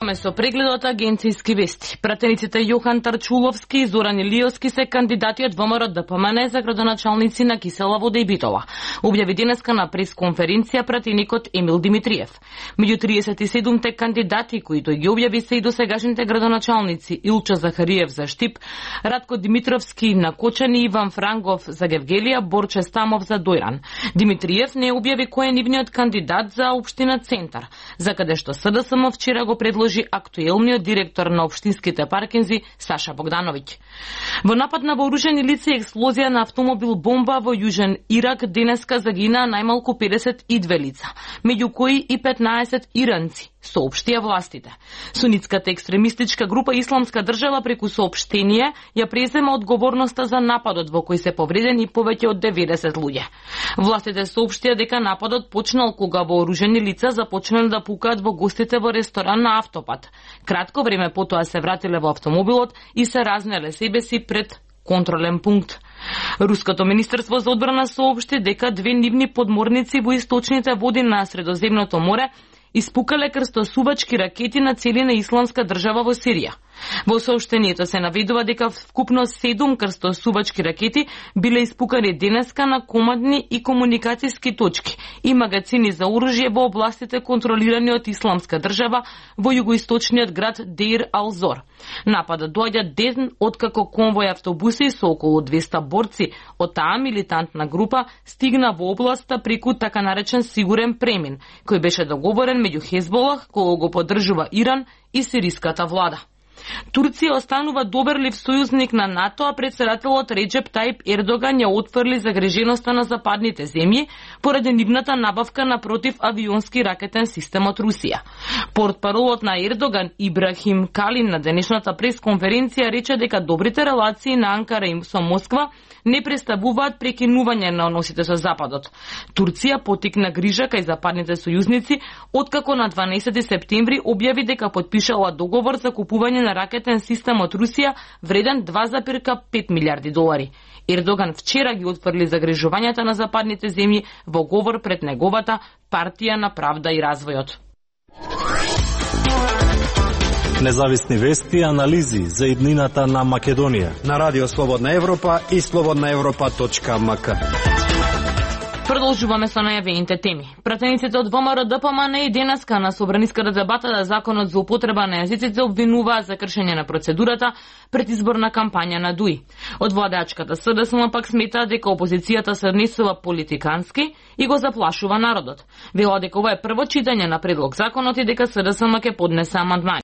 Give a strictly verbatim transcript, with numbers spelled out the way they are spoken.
Со прегледот агенцијски вести, пратениците Јохан Тарчуловски и Зоран Илиовски се кандидати од ВМРО Д П М Н за градоначалници на Кисела Вода и Битола. Објави денеска на пресконференција пратеникот Емил Димитриев. Меѓу триесет и седумте кандидати кои тој ги објави се и досегашните градоначалници Илчо Захариев за Штип, Радко Димитровски на Кочани, Иван Франгов за Гевгелија, Борче Стамов за Дојран. Димитриев не објави кој е нивниот кандидат за општина Центар, за каде што С Д С М вчера го предложи актуелниот директор на општинските паркинзи Саша Богдановиќ. Во напад на вооружени лица и експлозија на автомобил бомба во Јужен Ирак денеска загинаа најмалку педесет и две лица, меѓу кои и петнаесет иранци, соопштија властите. Сунитската екстремистичка група Исламска држава преку соопштение ја презема одговорноста за нападот во кој се повредени повеќе од деветдесет луѓе. Властите соопштија дека нападот почнал кога вооружени лица започнале да пукаат во гостите во ресторан на автопат. Кратко време потоа се вратиле во автомобилот и се разнеле себе си пред контролен пункт. Руското министерство за одбрана соопшти дека две нивни подморници во источните води на Средоземното море испукале крстосувачки ракети на цели на Исламска држава во Сирија. Во соопштението се наведува дека вкупно седум крстосувачки ракети биле испукани денеска на командни и комуникацијски точки и магазини за оружје во областите контролирани од Исламска држава во југоисточниот град Дейр ал-Зор. Нападот доаѓа ден откако конвој автобуси со околу двеста борци од таа милитантна група стигна во областа преку така наречен сигурен премин, кој беше договорен меѓу Хезболах, кој го поддржува Иран, и сириската влада. Турција останува доверлив сојузник на НАТО, а претседателот Реджеп Тајип Ердоган ја отфрли загриженоста на западните земји поради нивната набавка на противавионски ракетен систем од Русија. Портпаролот на Ердоган Ибрахим Калин на денешната пресконференција рече дека добрите релации на Анкара и со Москва не представуваат прекинување на односите со Западот. Турција потикна грижа кај западните сојузници откако на дванаесети септември објави дека потпишала договор за купување на ракетен систем од Русија вреден два зарез пет милиарди долари. Ердоган вчера ги отфрли загрижувањата на западните земји во говор пред неговата партија на правда и развојот. Независни вести и анализи за иднината на Македонија на Радио Слободна Европа и слободна европа точка м к. Продолжуваме со најавените теми. Пратениците од ВМРО Д П М Н и денеска на собраниската дебата за законот за употреба на јазиците обвинуваа за кршење на процедурата пред изборна кампања на Д У И. Од владеачката С Д С М пак сметаа дека опозицијата се однесува политикански и го заплашува народот. Велат дека ова е прво читање на предлог законот и дека С Д С М ќе поднесе амандмани.